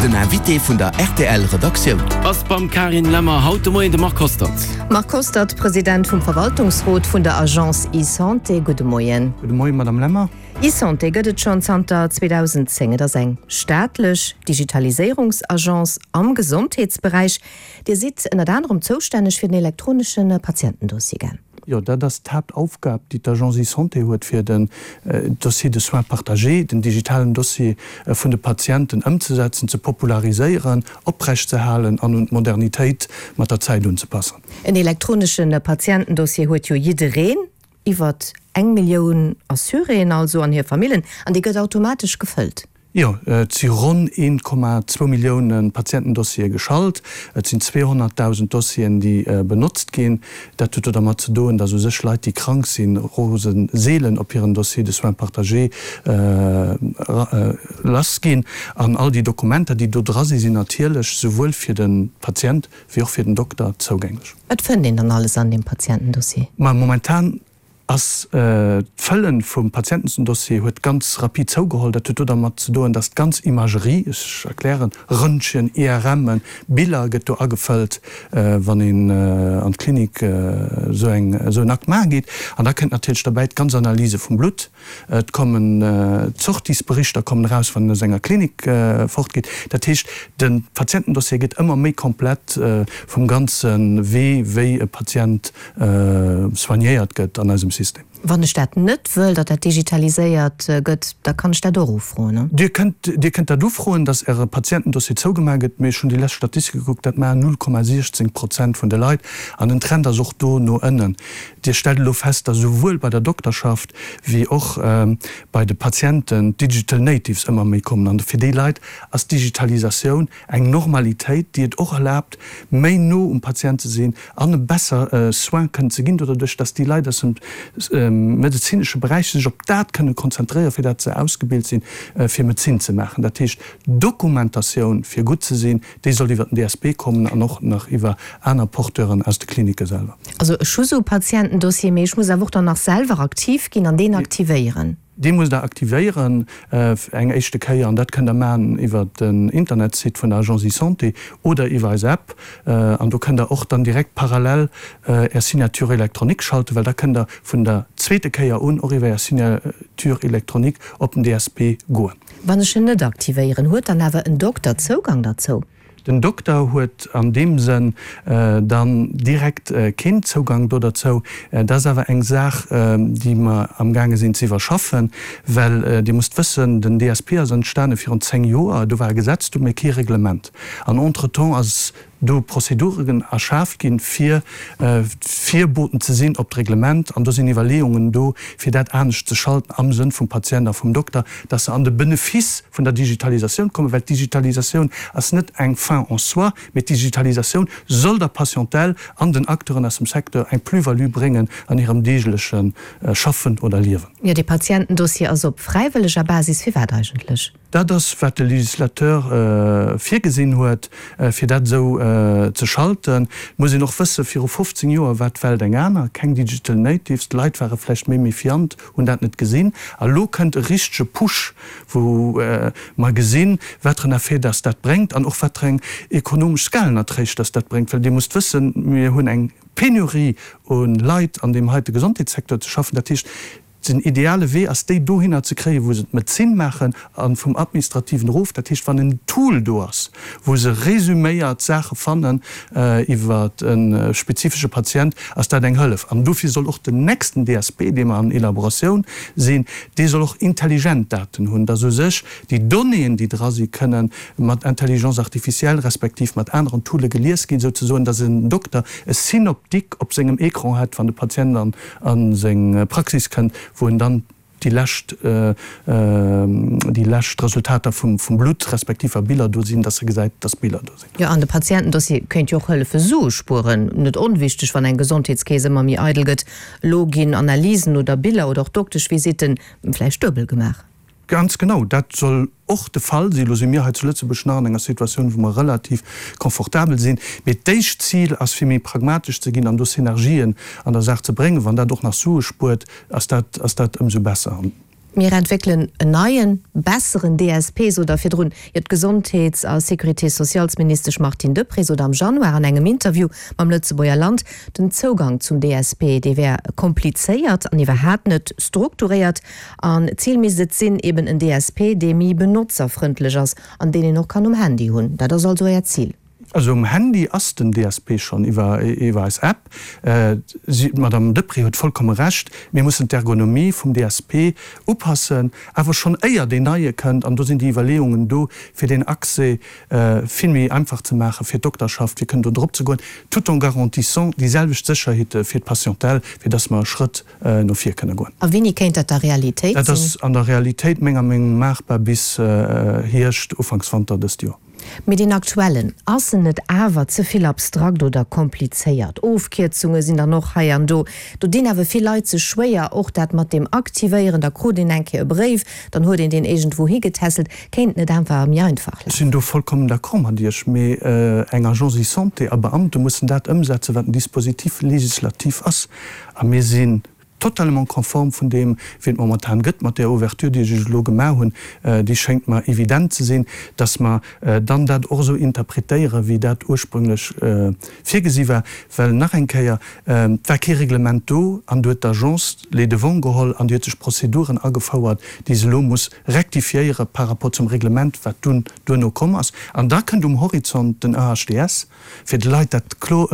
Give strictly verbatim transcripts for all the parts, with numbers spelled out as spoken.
Den Invité vun der R T L Redaktioun ass beim Carine Lemmer haut de Moien de Marc Hostert. Marc Hostert, President vum Verwaltungsrot vun der Agence eSanté, gudde Moien. Gudde Moien, Madame Lemmer. eSanté gëtt et schonn zanter zweedausenzéng. Et ass eng staatlech Digitaliséierungsagence am Gesondheetsberäich. Dir sidd ënnert anerem zoustänneg fir den elektronesche Patientendossier, gell? Jo, dat ass d'Haaptaufgab, déi d'Agence eSanté huet, fir den Dossier de soins partagé, den digitalen Dossier vun de Patienten ëmzesetzen, ze populariséieren, oprechtzeerhalen an un d'Modernitéit mat der Zäit unzepassen. En elektronesche Patientendossier huet jo jiddereen, iwwer eng Millioun Assuréen also an hir Famillen, an dee gëtt automatesch gefëllt. Jo, et si ronn een Komma zwou Millioune Patientendossiere geschalt. Et sinn zweehonnertdausend Dossieren, déi benotzt ginn. Dat huet do dermat ze doen, datt u sech Leit, déi krank sinn, rose seelen op hiren Dossier de soins partagé lass ginn. An all déi Dokumenter, déi do dra sinn, sinn natierlech souwuel fir de Patient wéi och fir den Dokter zougänglech. Wat fënnt een dann alles an deem Patientendossier? Ma momentan ass d'Fëllen vum Patientendossier huet ganz rapid zougeholl. Dat huet do dermat ze doen, dass d'ganz Imagerie, ech erklären, Röntgen, I R M'en, Biller gëtt do agefëllt, wann een an d'Klinik esou eng, esou en Akt maache geet. An da kënnt natierlech derbäi d'ganz Analyse vum Blutt. Et kommen d'Sortiesberichter kommen eraus, wann een aus enger Klinik fortgeet. Dat heescht, de Patientendossier gëtt ëmmer méi komplett vum ganze Wee, wéi e Patient soignéiert gëtt an eisem System. Wann ech dat net wëll, datt dat digitaliséiert gëtt, da kann ech dat och ufroen, ne? Dir kënnt, Dir kënnt dat ufroen, datt Äre Patientendossier zougemaach gëtt, mee ech hunn déi lescht Statistike gekuckt, dat maachen null Komma siechzéng Prozent vun de Leit an den Trend ass och do no ënnen. Dir stellt elo fest, datt esouwuel bei der Dokterschaft wéi och bei de Patienten d'Digital Natives ëmmer méi kommen an fir déi Leit ass d'Digitalisatioun eng Normalitéit, déi et och erlaabt, méi no um Patient ze sinn an e besser Soin kënnen ze ginn, doduerch datt déi Leit aus dem medezinesche Beräich sech op dat kënne konzentréieren, fir dat se ausgebilt sinn, fir Medezin ze maachen. Dat heescht, d'Dokumentatioun, fir gutt ze sinn, déi soll iwwer den D S P kommen an och nach iwwer aner Porteuren aus de Klinike selwer. Also ech hu sou e Patientendossier, mee ech muss awer och dann nach selwer aktiv ginn an deen aktivéieren. Dee musst Der aktivéieren eng éischte Kéier an dat kënnt Der maachen iwwer den Internetsite vun der Agence eSanté oder iwwer eis App. An do kënnt Der och dann direkt parallel Är Signature électronique schalten, well da kënnt Der vun der zweete Kéier un och iwwer Är Signature électronique op den D S P goen. Wann ech en net aktivéieren, huet dann awer en Dokter Zougang derzou? Den Dokter huet an deem Sënn dann direkt keen Zougang do derzou. Dat ass awer eng Saach, déi mer amgaange sinn ze iwwerschaffen, well Dir musst wëssen, den D S P ass entstane virun zéng Joer, do war e Gesetz do, mee kee Reglement. An entretemps ass do Prozeduren erschaaft ginn, fir Virboten ze sinn op d'Reglement. An do sinn Iwwerleeungen do, fir dat anescht ze schalten am Sënn vum Patient a vum Dokter, dass se an de Benefice vun der Digitalisatioun kommen, well d'Digitalisatioun ass net eng Fin en soi, mee d'Digitalisatioun soll der Patientèle an den Acteuren aus dem Secteur eng Plus-value bréngen an hirem deegleche Schaffen oder Liewen. Jo, dee Patientendossier ass op fräiwëlleger Basis. Firwat eigentlech? Dat ass, wat de Législateur virgesinn huet, fir dat esou ze schalten. Et muss een och wëssen, viru fofzéng Joer war d'Welt eng aner, keng Digital Natives, d'Leit ware vläicht méi méfiant, hunn dat net gesinn. A lo kënnt e richtege Push, wou mer gesinn, wat en Effet dass dat bréngt an och wat eng ekonomesch Skalenerträg dass dat bréngt. Well Dir musst wëssen, mir hunn eng Penurie u Leit an deem heite Gesondheetssecteur ze schaffen. Dat heescht, Den ideale Wee ass, déi dohinner ze kréien, wou se d'Medezin maachen a vum Administrativen erof. Dat heescht, wann en Tool do ass, wou se resuméiert Saache fannen iwwer e spezifesche Patient, ass dat eng Hëllef. An dofir soll och den nächsten D S P, dee mer an Elaboratioun sinn, dee soll och intelligent Daten hunn, dass u sech déi Donnéeën, déi dra si kënnen mat Intelligence artificielle respektiv mat aneren Toole gelies ginn, souzesoen, dass en Dokter e Synoptique op sengem Ecran hätt, wann de Patient an a seng Praxis kënnt, wou en dann déi lescht, déi lescht Resultater vum, vum Blutt respektiv wa Biller do sinn, dass e gesäit, dass Biller do sinn. Jo, an de Patientendossier kéint jo och hëllefe Sue spueren. Net onwichteg, wann eng Gesondheetskeess ëmmer méi eidel gëtt. Elo ginn Analysen oder Biller oder och Dokteschvisitten vläicht duebel gemaach. Ganz genau, dat soll och de Fall sinn. Elo si mir hei zu Lëtzebuerg nach an enger Situatioun, wou mer relativ confortabel sinn. Mee d'éischt Zil ass, fir méi pragmatesch ze ginn an do Synergien an der Saach ze bréngen. Wann dat och nach Sue spuert, ass dat, ass dat ëmsou besser. Mir entwéckelen en neien, besseren D S P, sot der virdrun. Jo, d'Gesondheets a Sécurité-sociales-Ministesch Martine Deprez sot am Januar an engem Interview mam Lëtzebuerger Land, den Zougang zum D S P, dee wär komplizéiert an iwwerhaapt net strukturéiert. An d'Zil misst et sinn, eben en D S P, dee méi benotzerfrëndlech ass an deen een och kann um Handy hunn. Dat ass also Äert Zil? Also um Handy ass den D S P schonn iwwer iwwer eis App. Si, d'Madame Deprez huet vollkomme Recht, mir mussen d'Ergonomie vum D S P upassen, awer schonn éier deen neie kënnt. An do sinn déi Iwwerleeungen do, fir deen Accès vill méi einfach ze maache fir d'Dokterschaft, fir kënnen do drop ze goen, tout en garantissant déi selwecht Sécherheete fir d'Patientèle, fir dass mer e Schrëtt no vir kënne goen. A wéini kéint dat da Realitéit Dat sinn? ass an der Realitéit menger Meenung maachbar bis Hierscht, Ufanks Wanter dëst Joer. Mee deen aktuellen, ass en net awer ze vill abstrakt oder komplizéiert? Ofkierzunge sinn dann och hei an do. Do dinn awer vill Leit sech schwéier, och dat mat deem Aktivéieren, da krut een eng Kéier e Bréif, dann huet een deen iergendwou higetässelt. Kéint net einfach méi einfach Ech sinn lafen? do vollkommen d'accord mat Iech, mee eng Agence eSanté a Beamte mussen dat ëmsetzen, wat en Dispositif législatif ass. A mir sinn totalement konform vun deem, wéi et momentan gëtt, mat där Ouverture, déi ech Iech elo gemaach hunn, déi schéngt mer evident ze sinn, dass mer dann dat och esou interpretéieren, wéi dat ursprünglech virgesi war. Well nach eng Kéier, et war kee Reglement do an do huet d'Agence les devants geholl an déi huet sech Prozeduren agefouert, déi se elo muss rectifiéiere par rapport zum Reglement, wat dunn duerno komm ass. An da kënnt um Horizont den E H D S, fir de Leit dat klo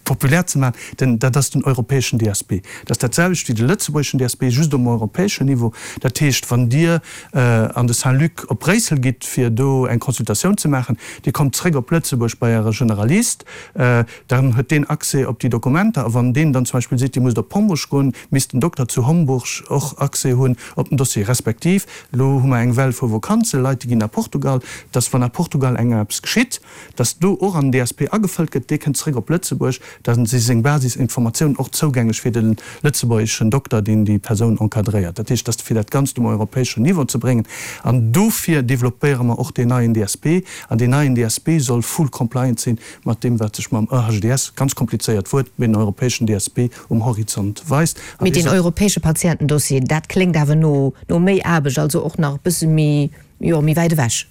populär ze maachen, denn dat ass den europäeschen D S P. Dat ass dat selwecht wéi de lëtzebuergeschen D S P, just um europäeschen Niveau. Dat heescht, wann Dir an de Saint-Luc op Bréissel gitt, fir do eng Consultatioun ze maachen, Dir kommt zréck op Lëtzebuerg bei Äre Generalist, dann huet deen Accès op déi Dokumenter. A wann deen dann zum Beispill seet, Dir musst op Homburg goen, misst den Dokter zu Homburg och Accès hunn op den Dossier. Respektiv, elo hu mer eng Well vu Vakanze, Leit, déi ginn a Portugal, dass wann a Portugal eng eppes geschitt, dass do och an den D S P agefëllt gëtt, dee kënnt zréck op Lëtzebuerg, dann si seng Basisinformatiounen och zougänglech fir de lëtzebuergeschen Dokter, deen déi Persoun encadréiert. Dat heescht, dass fir dat Ganzt um europäeschen Niveau ze bréngen. An dofir développéiere mer och deen neien D S P. An deen neien D S P soll full compliant sinn mat deem, wat sech mam E H D S, ganz komplizéiert Wuert, mee den europäeschen D S P um Horizont weist. An Mee dee deen soll europäesche Patientendossier, dat kléngt awer no, no méi Aarbecht, also och nach e bësse méi, jo, méi wäit ewech.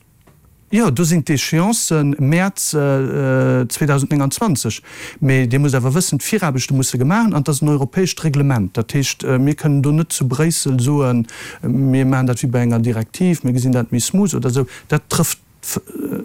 Jo, do sinn d'Échéancen Mäerz zweedausendnénganzwanzeg. Mee Dir musst awer wëssen, d'Viraarbechte musse gemaach an et ass en europäescht Reglement. Dat heescht, mir kënnen do net zu Bréissel soen, mir maachen dat wéi bei enger Direktiv, mir gesinn dat méi smooth oder esou. Dat trëfft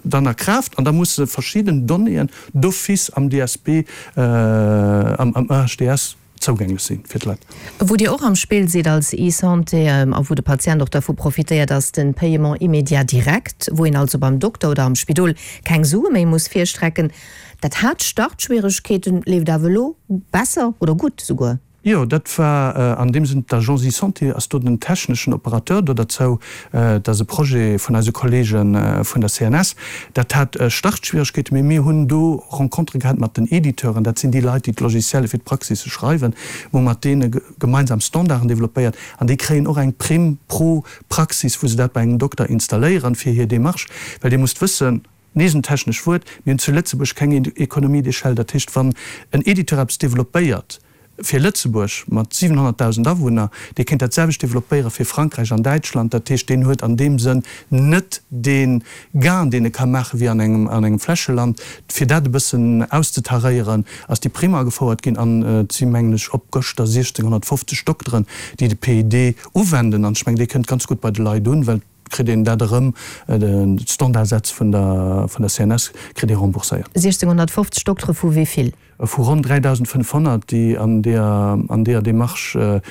dann a Kraaft an da musse verschidden Donnéeën d'office am D S P, am E H D S zougänglech sinn fir d'Leit. Wou Dir och am Spill sidd als eSanté a wou de Patient och dervu profitéiert, ass de Paiement immédiat direct, wou een also beim Dokter oder am Spidol keng Sue méi muss virstrecken. Dat hat Startschwieregkeeten, leeft awer elo besser oder gutt souguer. Jo, dat war an deem Sënn, d'Agence eSanté ass do den techneschen Operateur do derzou. Dat ass e Projet vun eise Kollege vun der C N S. Dat hat Startschwieregkeeten, mee mir hunn do Rencontere gehat mat den Editeuren, dat sinn déi Leit, déi d'Logicielle fir d'Praxisse schreiwen, wou mat deene gemeinsam Standarden développéiert an déi kréien och eng Prime pro Praxis, wou se dat bei engem Dokter installéieren fir hir Démarche, well Dir musst wëssen, nees en technesch Wuert, mir hunn zu Lëtzebuerg keng Économie d'échelle. Dat heescht, wann en Editeur eppes développéiert fir Lëtzebuerg mat siwenhonnertdausend Awunner, dee kéint dat selwecht développéiere fir Frankräich an Däitschland. Dat heescht, deen huet an deem Sënn net dee Gain, deen e ka maache wéi an engem, an engem Flächeland. Fir dat e bëssen auszetaréieren, ass déi Prime agefouert ginn an et si, mengen ech, op gëschter siechzehnhonnertfofzeg Dokteren, déi de P I D uwenden. An ech mengen, dee kënnt ganz gutt bei de Leit un, well kritt een dat erëm, de Standardsätz vun der, vun der C N S kritt ee rembourséiert. siechzehnhonnertfofzeg Doktere vu wéi vill? Vu ronn dräidausendfënnfhonnert, déi an der, an der Démarche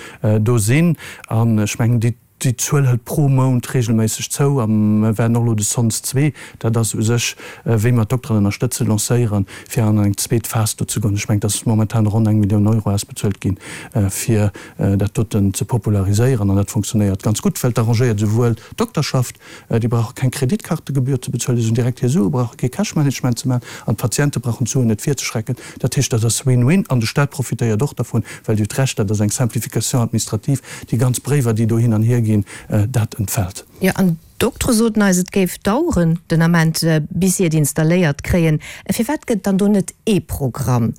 do sinn. An ech mengen, déi, déi Zuel hëlt pro Mount regelméisseg zou. A mir werden och elo de Sons zwee, dat ass u sech, wéi mer d'Dokteren ënnerstëtze lancéieren, fir an eng zweet Phas do ze goen. Ech mengen, dass momentan ronn eng Millioun Euro ausbezuelt ginn, fir dat doten ze populariséieren. An dat funktionéiert ganz gutt, well d'arrangéiert souwuel d'Dokterschaft, déi brauche keng Kreditkartegebühr ze bezuelen, déi sinn direkt hir Sue, brauche kee Cashmanagement ze maachen, an d'Patiente brauchen d'Suen net virzeschrecken. Dat heescht, dat ass Win-Win, an de Staat profitéiert och davon, well Dir hutt Recht, dat ass eng Simplification administrative, déi ganz Bréiwer, déi do hin an hier ginn, dat entfällt. Jo, an d'Doktere soten eis, et géif daueren, den Ament, bis si et installéiert kréien. Firwat gëtt dann do net ee Programm?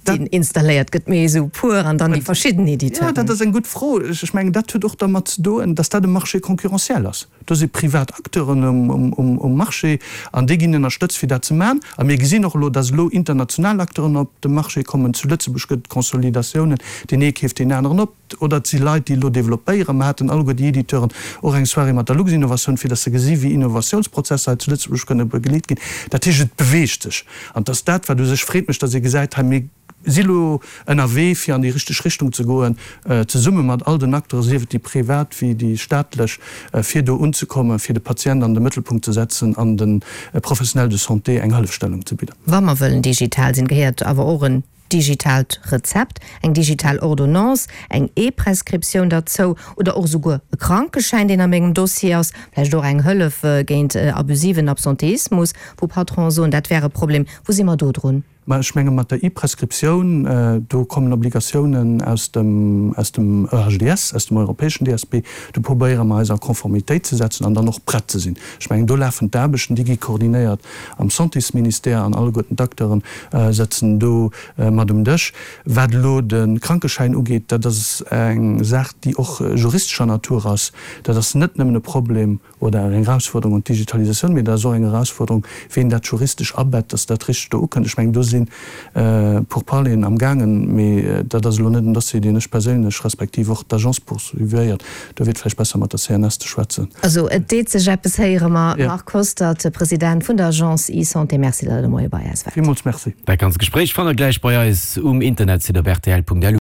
deen installéiert gëtt, mee esou puer an dann déi verschidden Editeuren. Jo, dat ass eng gutt Fro. Ech mengen, dat huet och dermat ze doen, dass dat e Marché concurrentiel ass. Do si privat Acteuren um Marché an déi ginn ënnerstëtzt, fir dat ze maachen. A mir gesinn och elo, dass elo international Acteuren op de Marché kommen. Zu Lëtzebuerg gëtt et Consolidatiounen, deen ee keeft deen aneren op. Oder et si Leit, déi elo developpéieren. Mer haten alleguer déi Editeuren och eng Soirée mat der Luxinnovation, fir dass se gesi wéi Innovatiounsprozesser hei zu Lëtzebuerg kënne begleet ginn. Dat heescht, et beweegt sech. An et ass dat, wat u sech freet mech, dass ee gesäit, hei mir si elo ënnerwee fir an déi richteg Richtung ze goen, zesumme mat all den Acteuren, sief et déi privat wéi déi staatlech, fir do unzekommen, fir de Patient an de Mëttelpunkt ze setzen an de Professionnels de santé eng Hëllefstellung ze bidden. Wa mer wëllen digital sinn, gehéiert awer och en digitaalt Rezept, eng digital Ordonnance, eng E-Prescriptioun derzou oder och esouguer e Krankeschäin, deen a mengem Dossier ass, vläicht och eng Hëllef géint abusiven Absenteismus, wou Patronen soen, dat wär e Problem. Wou si mer do drun? Mä ech menge mat der E-Prescriptioun, do kommen Obligatiounen aus dem, aus dem E H D S, aus dem europäeschen D S P, do probéiere mer eis a Konformitéit ze setzen an dann och prett ze sinn. Ech mengen, do lafen d'Aarbechten, déi gi koordinéiert am Santésministère an alleguerten d'Acteure sëtzen do mat um Dësch. Wat elo de Krankeschäin ugeet, dat ass eng Saach, déi och juristescher Natur ass. Dat ass net nëmmen e Problem oder eng Erausforderung un d'Digitalisatioun, mee dat ass och eng Erausforderung, wéi een dat juristesch abett, dass dat richteg do ukënnt. Ech mengen, do si Pourparleren amgaangen, mee dat ass elo net en Dossier, deen ech perséinlech respektiv och d'Agence poursuivéiert. Do wier et vläicht besser, mat der C N S ze schwätzen. Also et deet sech eppes, héiere mer. Marc Hostert, President vun der Agence eSanté, Merci, datt Der de Moie bei eis waart. Villmools Merci. Dat ganzt Gespréich fannt der gläich bei eis um Internetsite op rtl Punkt lu.